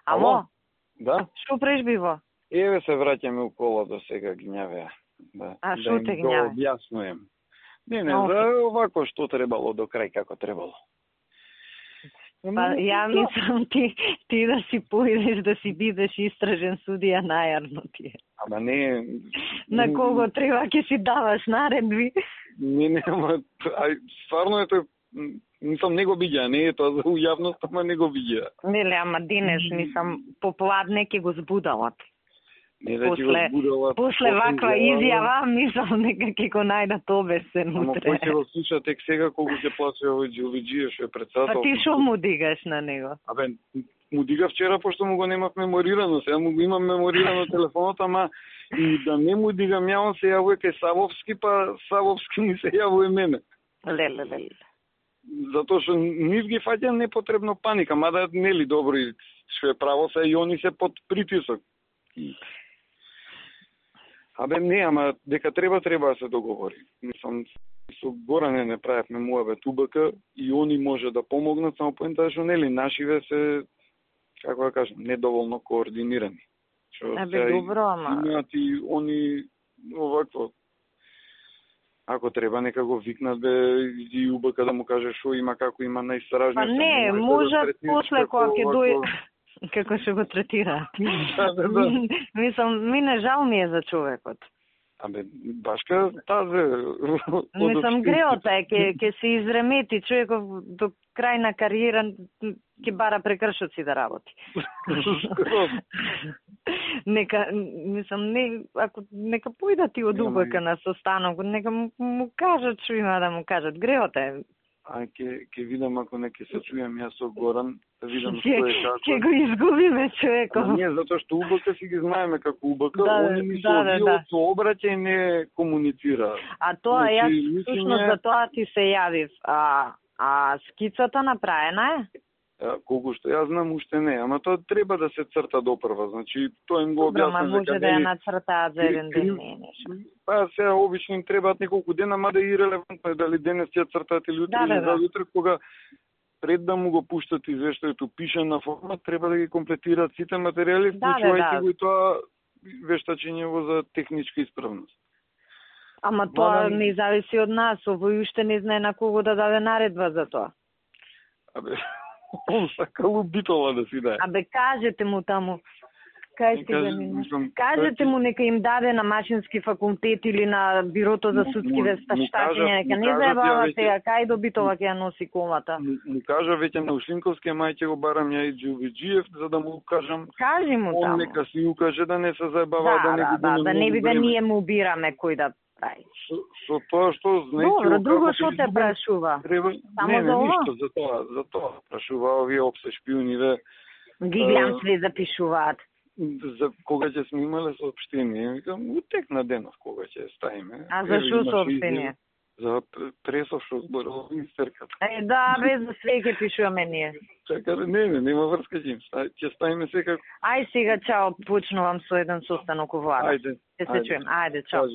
Ало? Да? Што прежбиво? Еве се враќаме у колото сега гњавеа. Да. А да што им те го гњаве? објаснуjem. Не, Ох. за овако што требало до крај како требало. Па ја мислам ти да си поидеш да си бидеш истражен судија најарно ти е. Ама не... На кого треба ќе си даваш наредби? Не, ама стварно е тој, мислам не го биѓа, не е тоа за јавност, ама не го биѓа. Неле, ама денес мислам попладне ќе го збудалат. Не да ти го збудалат. После ваква изјава, мислам нека ќе го најдат обесен Ама утре. кој ќе го слуша тек сега колку ќе плаче овој Джилиџиев што е председател? Па ти шо му дигаш на него? Абе, му дига вчера пошто му го немав меморирано, сега му го имам меморирано телефонот, ама и да не му дигам ја, он се јавува кај Савовски, па Савовски ми се јавува мене. Леле. Затоа што нив ги фаќа непотребно паника, мада нели добро и што е право се и они се под притисок. Абе не, ама дека треба да се договори. Мислам, со Горане не правевме муабет УБК и они може да помогнат, само поентата што нели нашиве се, како да кажам, недоволно координирани. Абе добро, ама имаат и они овакво. Ако треба нека го викнат и УБК да му каже што има, како има најстражни. Па не, можат после кога ќе дојде како ќе го третира. Да. Мислам, мине жал ми е за човекот. Абе, башка тазе. Мислам, греота е, ќе се изремети човеков до крај на кариера, ќе бара прекршоци да работи. Нека, мислам, нека појдат и од УБК на состанок, нека му кажат што има да му кажат. Греота е. А ќе видам ако не ќе се чујам јас со Горан, да видам што е како. Ќе го изгубиме човеков. Не, затоа што УБК си ги знаеме како УБК, они ми со обраќај не комуницира. А тоа јас всушност за тоа ти се јавив. А скицата направена е? Колку што јас знам уште не, ама тоа треба да се црта допрва, значи тоа им го објаснам. Добро, може да ја нацртаат за еден ден, не. Па сега обично им требаат неколку дена, мада и релевантно е дали денес ќе цртаат или утре или заутре, кога пред да му го пуштат извештајето пишана форма, треба да ги комплетираат сите материјали, вклучувајќи го и тоа вештачењево за техничка исправност. Ама тоа не зависи од нас, овој уште не знае на кого да даде наредба за тоа. Абе, он сакал убитола да си даде. Абе, кажете му таму. Кажете му нека им даде на машински факултет или на бирото за судски вештачење, нека не заебава сега, кај до битова ќе ја носи колата. Му кажа веќе на Ушинковски, мај ќе го барам ја и Джилиџиев, за да му кажам. Кажи му таму. Он нека си укаже да не се заебава, да не би да ние му убираме кој да прави. Со тоа што знаете... Добро, друго што те прашува? Не, ништо, за тоа прашува овие опсе шпиониве. Ги гледам све запишуваат. За кога ќе сме имале соопштение, викам, утекна денов кога ќе ставиме. А за што соопштение? За пресов што зборува министерката. Да, без за све ќе пишуваме ние. Чака, нема врска ќе ставиме секако. Ај сега, чао, почнувам со еден состанок во влада. Ајде. Ќе се чуем. Ајде, чао.